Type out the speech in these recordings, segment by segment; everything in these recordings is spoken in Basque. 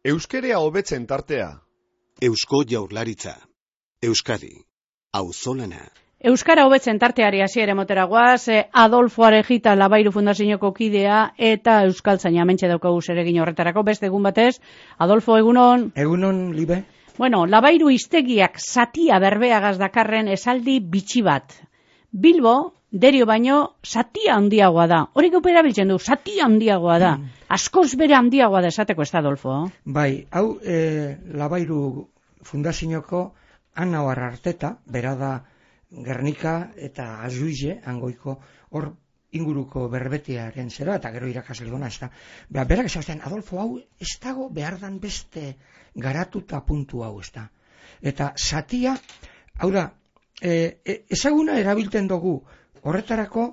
Euskerea hobetzen tartea. Eusko Jaurlaritza. Euskadi. Auzolana. Euskara hobetzen tarteari hasiera motera goaz, Adolfo Arejita Labairu Fundazioko kidea eta euskaltzaina hementxe daukagu zeregin horretarako beste egun batez. Adolfo, egunon. Egunon, Libe. Bueno, Labairu hiztegiak zatia berbeagaz dakarren esaldi bitxi bat. Bilbo, Derio baino, zatia handiagoa da. Hori gaupe erabiltzen du, zatia handiagoa da. Askoz bere handiagoa da esateko ez da, Adolfo. Bai, hau Labairu Fundazioko Anauar Arteta, bera da Gernika eta Azuize, hangoiko hor inguruko berbetiaren zera, eta gero irakasle gona, ez da. Berak esaten, Adolfo, hau ez dago behardan beste garatuta puntu hau, ez da. Eta zatia, hau da, ezaguna erabilten dugu, horretarako,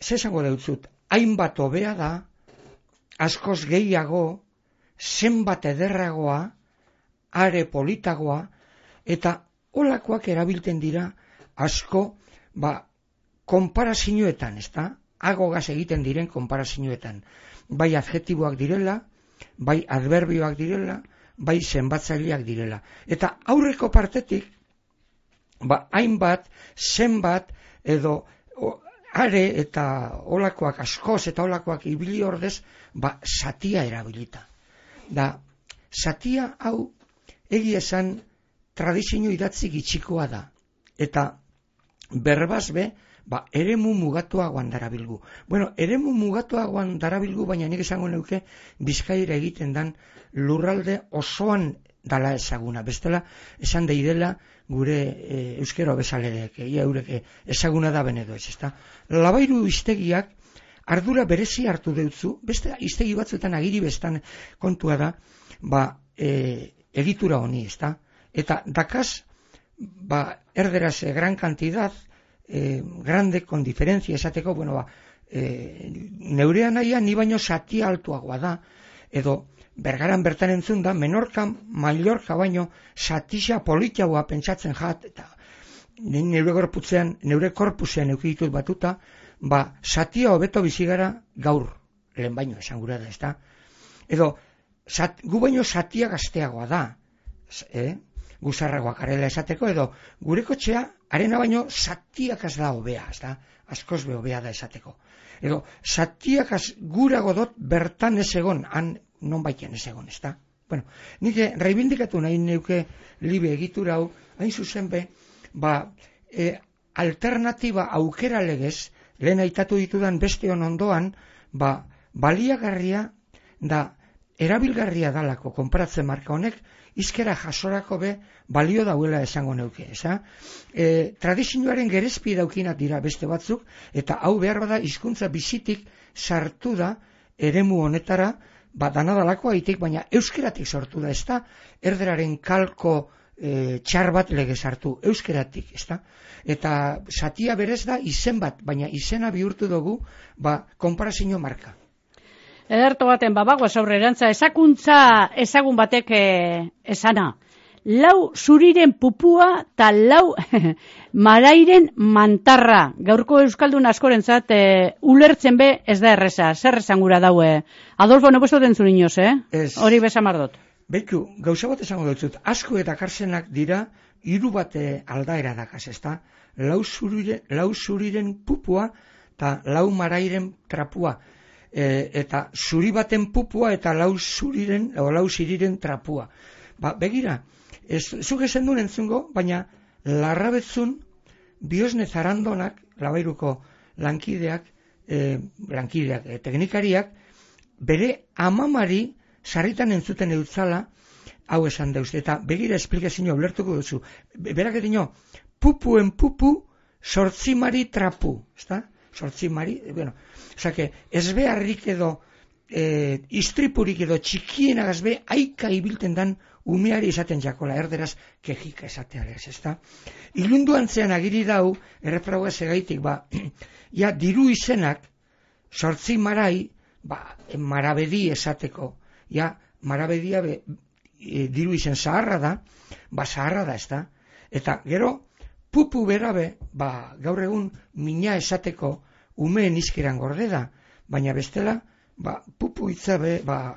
zesango deutzut, hainbat hobea da, askoz gehiago, zenbat ederragoa, are politagoa, eta olakoak erabilten dira asko, konparazioetan, ez da? Agogaz egiten diren konparazioetan. Bai adjektiboak direla, bai adverbioak direla, bai zenbatzaileak direla. Eta aurreko partetik, hainbat, zenbat, edo are eta olakoak askoz eta olakoak ibili ordez, zatia erabilita. Da, zatia hau egia esan tradizio idatzi gitxikoa da. Eta berbazbe, eremu mugatuagoan darabilgu. Bueno, eremu mugatuagoan darabilgu, baina nik esango neuke Bizkaira egiten dan lurralde osoan dala ezaguna. Bestela, esan deidela gure euskero bezaleek, eurek ezaguna da benedo ez, ezta? Labairu hiztegiak ardura berezi hartu deutzu, beste hiztegi batzuetan agiri bestan kontua da, egitura honi, ezta? Eta dakaz, erderaz gran cantidad, grande con diferencia, esateko, neurean naia ni baino zatia altuagoa da, edo Bergaran bertan entzun da, Menorka, Mallorca baino zatisa politiagoa pentsatzen jat, eta neure korpusean eukitut batuta, zatia hobeto bizigara gaur, lehen baino esan gura da, ez da? Edo, gu baino zatia gazteagoa da, guzarragoak arela esateko, edo gure kotxea, arena baino zatiakaz da hobea, ez da? Askoz be hobea da esateko. Edo, zatiakaz gura godot bertan ez egon, han non baitean ez egon, ez da? Bueno, nik reibindikatu nahi neuke Libe egitura hau, hain zuzen be, alternatiba aukera legez, lehen aitatu ditudan beste ondoan, baliagarria da, erabilgarria dalako konparatzen marka honek, izkera jasorako be balio dauela esango neuke, eza? Tradizioaren gerezpi daukinak dira beste batzuk, eta hau behar bada hizkuntza bizitik sartu da eremu honetara, danadalako aitik, baina euskeratik sortu da, ez da? Erderaren kalko txar bat legez hartu, euskeratik, ez da? Eta zatia berez da izen bat, baina izena bihurtu dugu, konparazio marka. Ederto baten bagoaz aurrerantza, ezakuntza ezagun batek esana. Lau zuriren pupua eta lau marairen mantarra. Gaurko euskaldun askorentzat ulertzen be ez da erreza. Zer esan gura daue? Adolfo, no puesto tentzun inoz, hori besamardot. Beitu, gauza bat esango dut, asko eta karsenak dira, hiru bate aldaera dakaz, ez da? Lau zuriren pupua eta lau marairen trapua. Eta zuri baten pupua eta lau ziriren trapua. Begira, zuk esan duen entzungo, baina larrabetzun Biosne Zarandonak, Labairuko lankideak, teknikariak, bere amamari sarritan entzuten eutzala, hau esan deuz, eta begira esplikazioa ulertuko duzu. Berak edino, pupuen pupu, sortzimari trapu, ezta? Sortzimari, osake, ez beharrik edo, istripurik edo txikienak be aika ibilten dan umeari esaten jakola, erderaz kejika esatearez, ezta? Ilunduantzean agiri dau, errepraua segaitik, diru izenak, sortzi marai, marabedi esateko, marabedia diru izen zaharra da, zaharra da, ezta? Eta gero, pupu berabe, gaur egun mina esateko umeen izkeran gorde da, baina bestela, pupu hitza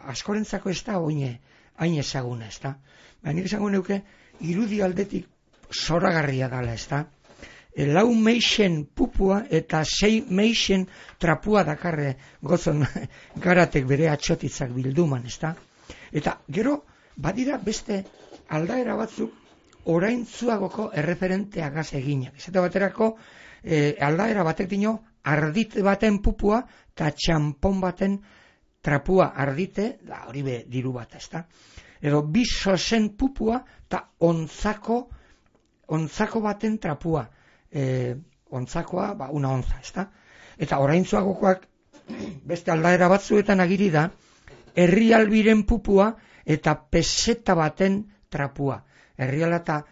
askorentzako ez da hain ezaguna, ez da. Nik esango neuke, irudi aldetik zoragarria dala, ez da. 4 meixen pupua eta 6 meixen trapua dakarre gozon Garatek bere atxotitzak bilduman, ez da. Eta gero, badira beste aldaera batzuk oraintzuagoko erreferenteagaz eginak. Esate baterako, aldaera batek dino, ardite baten pupua eta txampon baten trapua ardite, hori be diru bat, ez da. Edo bisozen pupua eta ontzako baten trapua. Ontzakoa, una ontza, ez da. Eta oraintzuagokoak beste aldaera batzuetan agiri da, herrialbiren pupua eta peseta baten trapua. Herriala eta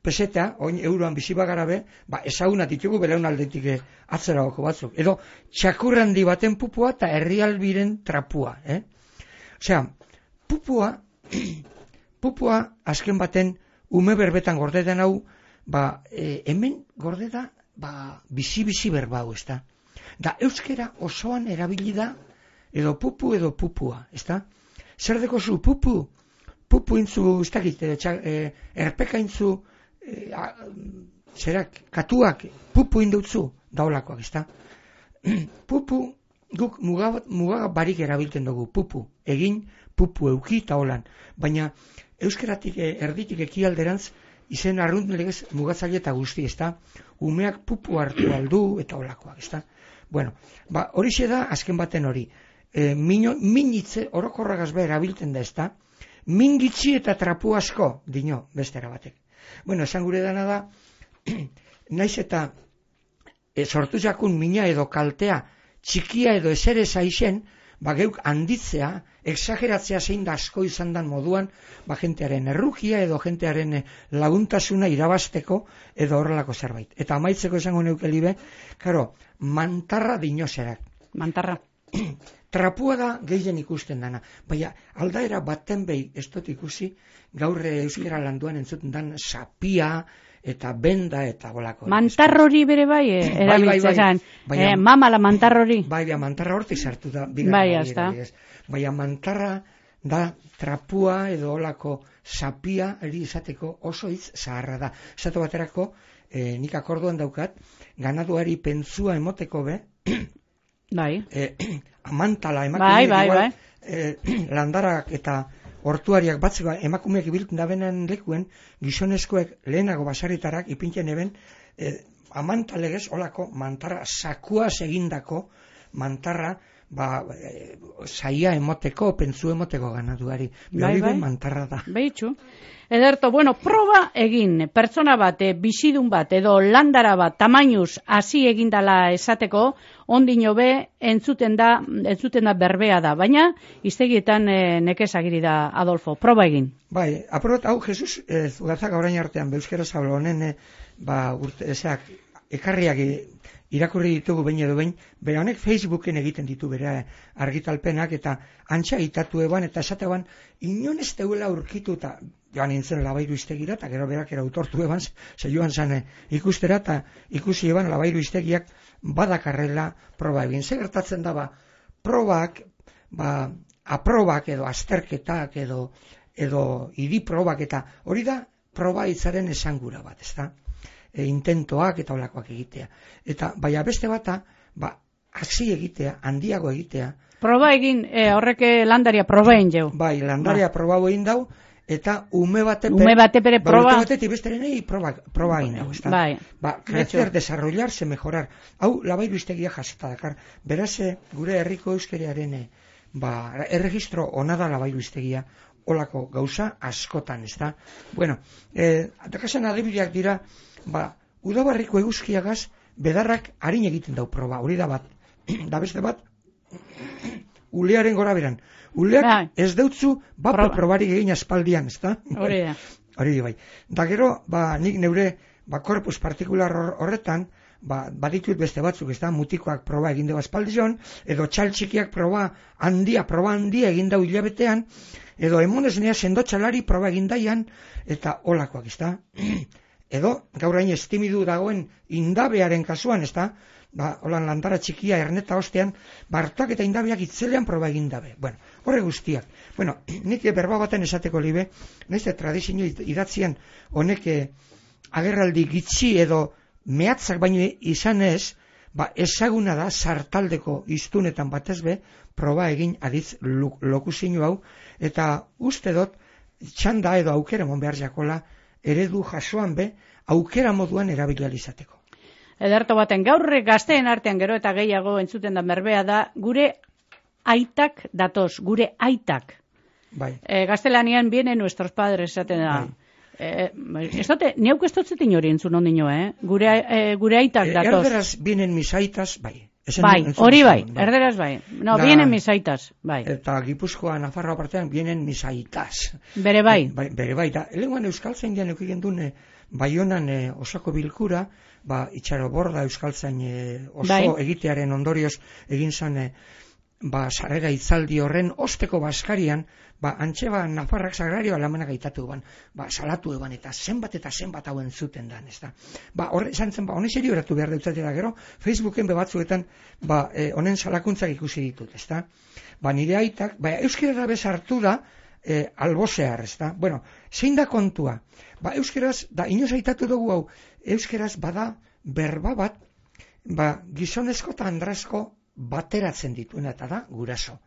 peseta, oin euroan bizi bagara be, ezaguna ditugu belaunaldetik atzeragoko batzuk. Edo txakurrandi baten pupua eta herrialbiren trapua. Osea, pupua azken baten ume berbetan gordetan hau, hemen gorde da, bizi berbau, ez da. Da euskera osoan erabili da, edo pupua, ez da. Zer deko zu, pupu intzu, ez dakit, erpeka intzu, katuak, pupu indutzu, daulakoak, ez da. Pupu, guk muga barik erabiltzen dugu, pupu, egin, pupu euki eta holan. Baina euskeratik erditik ekialderantz, izen arrunt legez mugatzaile eta guzti, ez da? Umeak pupu hartu aldu eta olakoak, ez da? Bueno, horixe da azken baten hori. Minitze orokorragaz behar abilten da, ez da? Mingitzi eta trapu asko, dino, bestera batek. Bueno, esan gure dana da, naiz eta sortu jakun mina edo kaltea, txikia edo esere zaizen, geuk handitzea, exageratzea zein da asko izan dan moduan, jentearen errukia edo jentearen laguntasuna irabasteko edo horrelako zerbait. Eta amaitzeko esango neuke libe, karo, mantarra dinoserak. Mantarra. Trapua da gehien ikusten dana. Baina aldaera baten behi ez dut ikusi, gaur euskera landuan entzuten dan sapia, eta benda eta bolako. Mantarrori bere bai, erabiltzen. Mamala mantarrori. Bai, mantarra hortik sartu da. Bai, azta. Baina mantarra da trapua edo olako sapia eri izateko oso hitz zaharra da. Esatu baterako, nik akorduan daukat, ganaduari pentsua emoteko be, bai. Amantala emakumeak igual, landarak eta hortuariak batzeko emakumeak ibiltzen da benen lekuen, gizonezkoek lehenago basarritarak ipintzen eben, amantalegez, olako mantarra, sakuaz egindako mantarra, saia emoteko, pentsu emoteko ganaduari. Bai. Mantarra da. Behitxu. Ederto, proba egin, pertsona bat, bizidun bat, edo landara bat, tamainuz, hasi egindala esateko, ondino be, entzuten da berbea da, baina, iztegietan nekezagiri da, Adolfo, proba egin. Bai, aprobet, hau, Jesus, Zugatzak orain artean, Euskera Zablo honen, ekarriak irakurri ditugu behin edo behin, bera honek Facebooken egiten ditu bere argitalpenak, eta antxa itatu eban, eta esate eban, inon ez deuela urkitu, eta joan nintzen Labairu iztegira, eta gero berak erautortu eban, ze joan zan ikustera, eta ikusi eban Labairu iztegiak badakarrela proba egin. Zer gertatzen da, probak, aprobak edo azterketak edo idiprobak, eta hori da proba hitzaren esangura bat, ez da? Intentoak eta olakoak egitea. Eta baina beste bata, hasi egitea, handiago egitea. Proba egin, horrek landaria proba egin jau. Bai, landaria proba egin dau, eta ume bate bere proba. Ume batetik besterenei proba egin hau. Bai. Crecer, desarrollarse, mejorar. Hau, Labairu iztegia jasota dakar. Beraz, gure herriko euskeriaren erregistro onada Labairu iztegia, olako gauza askotan, ez da? Bueno, dakasen adibideak dira, udabarriko eguzkiagaz bedarrak harin egiten dau proba, hori da bat. Da beste bat, ulearen gora beran. Uleak ez deutzu probarik egin aspaldian, ez da? Hori da. Hori bai. Da gero, nik neure korpus partikular horretan, baditut beste batzuk, ez da? Mutikoak proba egin dugu aspaldion, edo txaltxikiak proba handia egin dau hilabetean, edo emonez nea sendotxalari proba egin daian, eta olakoak, ez da? edo gaur hain estimidu dagoen indabearen kasuan, ezta? Holan landara txikia erneta ostean, hartak eta indabeak itzelean proba egin dabe. Bueno, horre guztiak. Bueno, nik berba baten esateko libe, nahiz tradizio idatzian honek agerraldi gitxi edo mehatzak baino izan ez, ezaguna da sartaldeko hiztunetan batez be, proba egin aditz lokuzinu hau, eta uste dut txanda edo aukera mon behar jakola eredu jasoan be, aukera moduan erabilializateko. Ederto baten, gaur gazteen artean gero eta gehiago entzuten da berbea da, gure aitak datoz, gure aitak. Bai. Gaztelanian vienen nuestros padres, esaten da. Neuk ez dutzetin hori entzun ondino, gure aitak datoz. Erderaz vienen mis aitas, bai. Bai, hori bai, erderaz bai. No, vienen mis aitas, bai. Eta Gipuzkoa, Nafarroa partean, vienen mis aitas. Bere bai. Bere bai, da, elenguan euskaltzain dian eukigen duen Baionan osako bilkura, itxaro borda euskaltzain oso egitearen ondorioz egin zan sarrera itzaldi horren osteko baskarian, antxe Nafarrak sagrario alamanak aitatu eban, salatu eban, eta zenbat hauen zuten dan, ez da. Horre, esan zen, honen serio eratu behar deutzatea gero, Facebooken bebatzuetan, honen salakuntzak ikusi ditut, ez da. Nire aitak, euskerara bezartu da, albozear, ez da. Bueno, zein da kontua? Euskeraz, da inoz aitatu dugu hau, euskeraz bada berba bat, gizonezko eta andrazko bateratzen dituena, eta da guraso.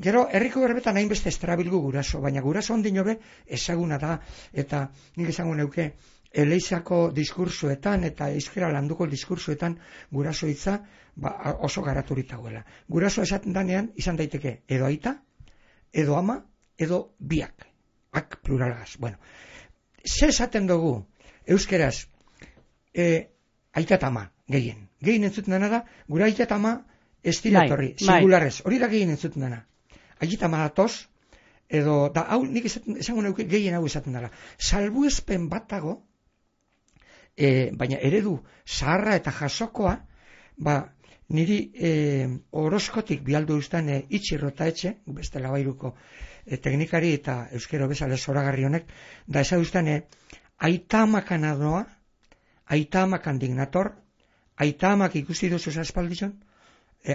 Gero, herriko berbetan hainbeste estrabilgu guraso, baina guraso ondino be ezaguna da, eta nik esango neuke, Eleizako diskursuetan eta euskera landuko diskursuetan guraso hitza oso garaturik dagoela. Guraso esaten danean izan daiteke edo aita, edo ama, edo biak. Ak pluralagaz. Bueno, ze esaten dugu euskeraz aita eta ama, gehien. Gehien entzuten dena da, gura aita eta ama estilatorri, singularrez. Hori da gehien entzuten dena. Aita ama datoz, edo, da, hau nik esango neuke gehien hau esaten dela. Salbuespen batago, baina eredu zaharra eta jasokoa, niri horoskotik bialdu eustan itxirrota etxe, beste labairuko teknikari eta euskero bezala zoragarri honek, da eza eustan aita amakan adoa, aita amakan dignator, aita amak ikusi duzu aspaldizon,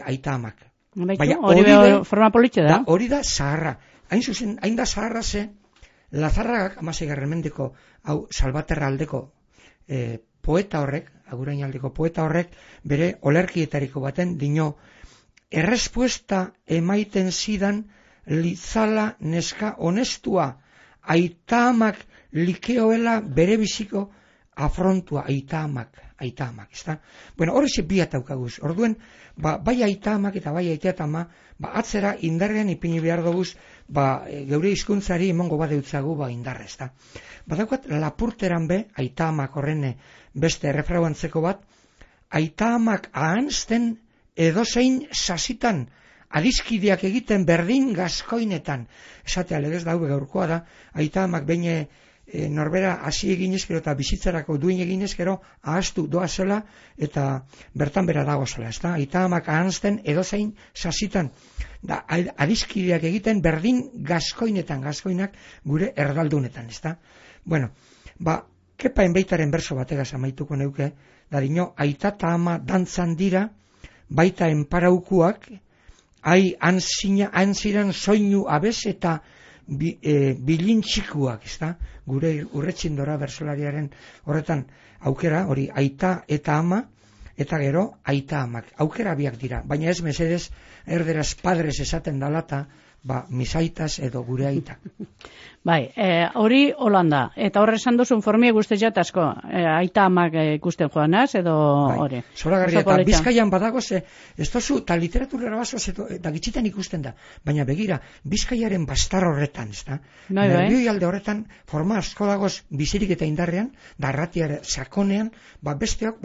aita amak. Hori forma politxe da? Hori da zaharra. Hain zuzen, hain da zaharra ze, Lazarragak, amaseigarren mendeko, hau Salvaterra aldeko poeta horrek, agurain aldeko poeta horrek, bere olerkietariko baten, dino, errespuesta emaiten zidan litzala neska honestua, aita amak likeoela bere biziko afrontua, aita amak, ezta? Bueno, hori ze biat daukaguz. Orduen, bai aita amak eta bai aita eta ama, atzera indarrean ipini behar duguz, geure hizkuntzari emongo badeutzagu indarra, ezta? Badaukat lapurteran be, aita amak horren beste errefrauantzeko bat, aita amak ahanzten edozein sasitan, adiskideak egiten berdin gazkoinetan. Esatea legez daube gaurkoa da, aita amak behin norbera hasi eginez gero eta bizitzarako duin eginez gero ahaztu doa zela eta bertan bera dago zela, ezta? Aita amak ahanzten edozein sasitan, da adiskideak egiten berdin gazkoinetan, gazkoinak gure erdaldunetan, ezta? Bueno, kepa enbeitaren berso bategaz amaituko neuke, da dino, aita eta ama dantzan dira, baita enparaukuak, antziran soinu abez eta bilintxikuak, ezta? Gure urretxindora bersolariaren horretan aukera, hori aita eta ama, eta gero aita amak. Aukera biak dira, baina ez mesedez erderaz padres esaten dalata, misaitas edo gure aitak. Bai, hori Holanda, eta horre esan duzun formie guzti jatasko, aita amak ikusten joanaz, edo hori. Zoragarria, eta Bizkaian badago, ez tozu, eta literaturera basoz, eta gitxitan ikusten da, baina begira, Bizkaiaren bastar horretan, ez da? Nervioi alde horretan, forma asko dagoz bizirik eta indarrean, da arratiare sakonean, besteok,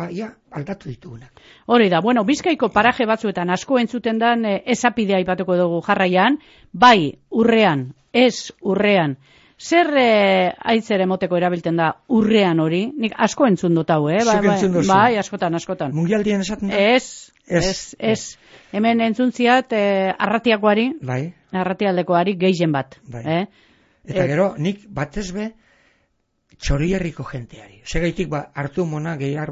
aldatu ditugunak. Hori da, bueno, Bizkaiko paraje batzuetan asko entzuten dan, ezapidea aipatuko dugu jarraian, bai, urrean, ez urrean. Zer aitzere moteko erabilten da urrean hori? Nik asko entzun dut hau, Bai, askotan. Mundialdien esaten da? Ez. Hemen entzuntziat arratiakoari, arratialdekoari gehien bat. Eta gero, nik batez be, Txorierriko jenteari. Segaitik hartu mona behar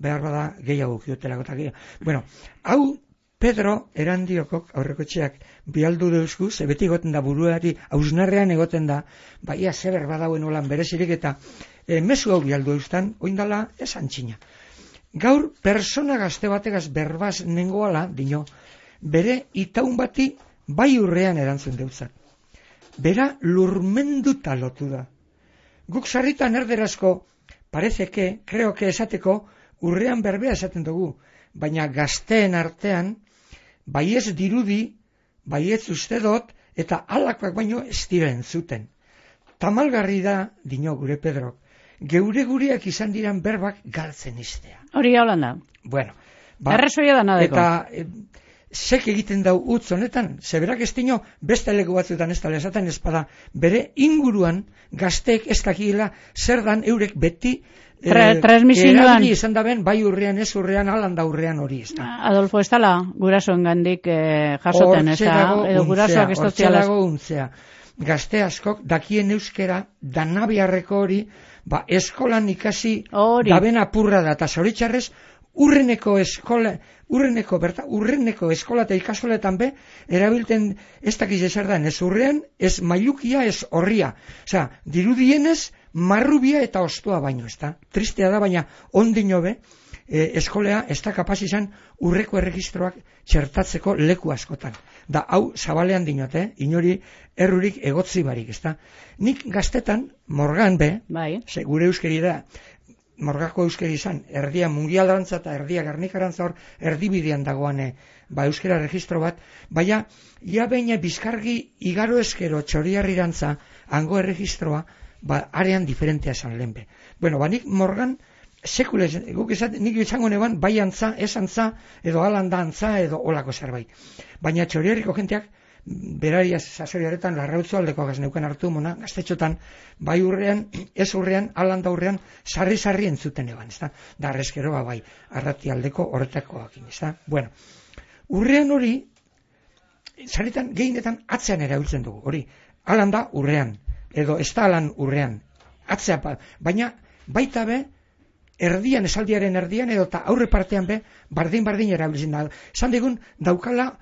bada gehiago kiotelako eta gehiago. Bueno, hau Pedro Erandiokok aurrekotxeak bialdu deuzku, ze beti egoten da buruari, hausnarrean egoten da, ia zeber badauen olan berezirik eta mezu hau bialdu deuztan, oindala esan txina. Gaur persona gazte bategaz berbaz nengoala, dino, bere itaun bati bai urrean erantzun deutzat. Bera lurmenduta lotu da. Guk sarritan erderazko, parezeke, creo que esateko, urrean berbea esaten dugu, baina gazteen artean, bai ez dirudi, bai ez uste dut, eta alakoak baino ez dira entzuten. Tamalgarri da, dino gure Pedrok, geure-gureak izan diran berbak galtzen iztea. Hori gaulan da. Bueno, errezoia da nadeko. Eta zek egiten dau utz honetan, zeberak ez dino beste leku batzuetan ez dala esaten ezpada, bere inguruan gazteek ez dakiela zer dan eurek beti erabili izan daben, bai urrean ez urrean, alanda urrean hori ez da. Adolfo, ez dala gurasoen gandik jasoten, ez da, edo gurasoak ez tozialaz. Hortxe dago untzea. Gazte askok dakien euskera, danabiarreko hori, eskolan ikasi daben apurra da, eta zoritxarrez, urreneko eskola eta ikasoletan be, erabilten ez dakiz ezer da, ez urrean, ez mailukia, ez horria. Osea, dirudienez, marrubia eta ostua baino, ez da. Tristea da, baina ondino be, eskolea ez da kapaz izan urreko erregistroak txertatzeko leku askotan. Da, hau zabalean dinote, inori errurik egotzi barik, ez da. Nik gaztetan, morgan be, gure euskeri da, morgako euskeri izan, erdia mungialdarantza eta erdia garnikarantza hor, erdibidean dagoan euskera registro bat, baina, ja baina bizkargi igaro eskero txoriarrirantza, hango erregistroa, arean diferentea esan lehenbe. Bueno, nik morgan, sekulez, guk esaten, nik izango neban, bai antza, ez antza, edo alanda antza, edo olako zerbait. Baina txoriarriko jenteak, berariaz sasoriaretan larrautzu aldeko gazneuken hartu mona, gaztetxotan, bai urrean, ez urrean, alanda urrean, sarri-sarri entzuten eban, ez da? Da, arrezkero, bai, arrati aldeko horretakoak, ez da? Bueno, urrean hori, sarritan gehienetan atzean erabiltzen dugu, hori, alanda urrean, edo ez da alan urrean, atzea, baina baita be, erdian, esaldiaren erdian, edo eta aurre partean be, bardin erabiltzen da. Esan digun, daukala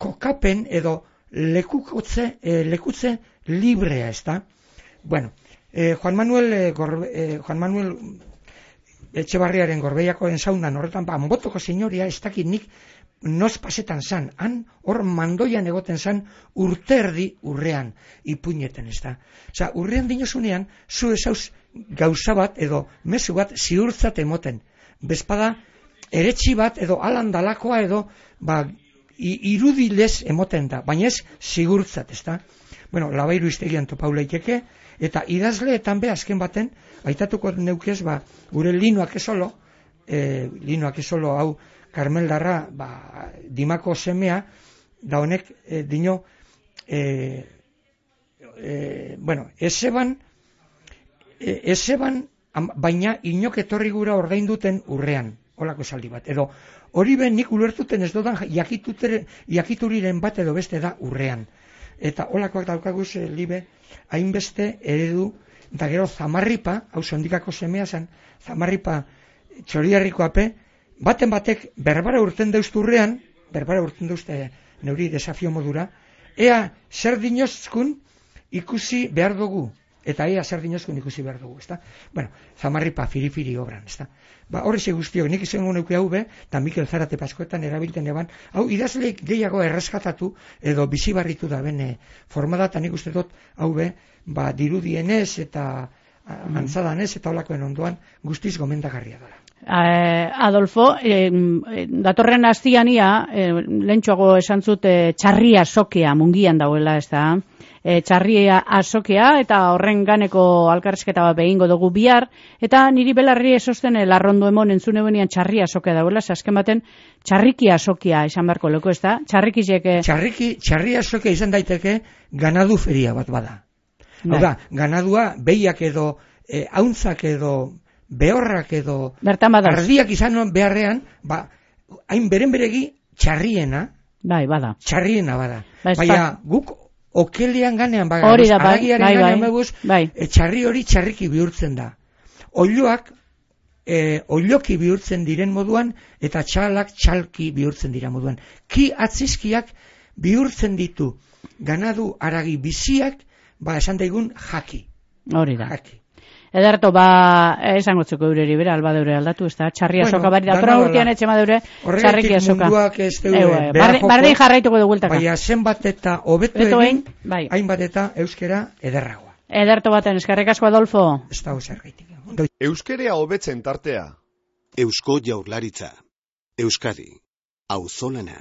kokapen edo lekutze librea, ez da? Bueno, Juan Manuel Etxebarriaren Gorbeiakoen saunan horretan, Anbotoko senyoria ez dakit nik noz pasetan zan, han hor mandoian egoten zan urte erdi urrean ipuñeten, ez da? Osa, urrean dinosunean, zu ezauz gauza bat edo mezu bat ziurtzat emoten. Bezpada, eretxi bat edo alandalakoa edo, irudilez emoten da, baina ez sigurtzat, ez da? Bueno, Labairu iztegian topau leiteke, eta idazleetan be azken baten, aitatuko neukez, gure Linoak ezolo hau Karmeldarra, Dimako semea, da honek, dino, bueno, ezeban, baina inok etorri gura ordain duten urrean, holako esaldi bat, edo hori ben nik ulertuten ez dodan jakituriren bat edo beste da urrean. Eta holakoak daukaguz libe, hainbeste eredu, eta gero Zamarripa, hau Sondikako semea zen, Zamarripa Txoriarriko ape, baten batek berbara urten deuztu urrean, berbara urten deuzte neuri desafio modura, ea zer dinozkun ikusi behar dugu, eta ea zer dinozkun ikusi behar dugu, ezta? Bueno, Zamarripa firifiri obran, ezta? Horreze guztiok, nik izango neuke hau be, eta Mikel Zarate Paskoetan erabilten eban, hau idazleik gehiago erreskatatu edo bizibarritu da bene formada, eta nik uste dut hau be, dirudienez eta antzadanez eta holakoen ondoan guztiz gomendagarria dara. Adolfo, datorren astiania, lehentxoago esan zut txarria sokea mungian dauela, ez da? Txarria azokea eta horren ganeko alkarrizketa bat behingo dugu bihar, eta niri belarri esosten larrondo emon entzune benian txarria azokea dauela, azken baten txarriki azokea esan beharko leko, ez da? Txarria azokea izan daiteke ganadu feria bat bada. Hau da, ganadua behiak edo hauntzak edo behorrak edo ardiak izan beharrean, hain beren beregi txarriena, bada. Txarriena bada. Baina guk okelean ganean, Hori da, bai, haragiaren bai, ganean bai, beguz, bai. txarri hori txarriki bihurtzen da. Oiloak oiloki bihurtzen diren moduan, eta txalak txalki bihurtzen dira moduan. Ki atzizkiak bihurtzen ditu ganadu haragi biziak, esan daigun jaki. Hori da. Jaki. Ederto, esango txuko eureri bera, alba deure aldatu, ez da, txarri azoka bari da, tora urtean etxe madeure, txarriki azoka. Munduak ez deure, bardin jarraituko du gueltaka. Baina zenbat eta hobetu egin, hainbat eta euskera ederragoa. Ederto baten, eskerrik asko Adolfo. Ez da zergaitik. Euskerea hobetzen tartea. Eusko Jaurlaritza. Euskadi. Auzolana.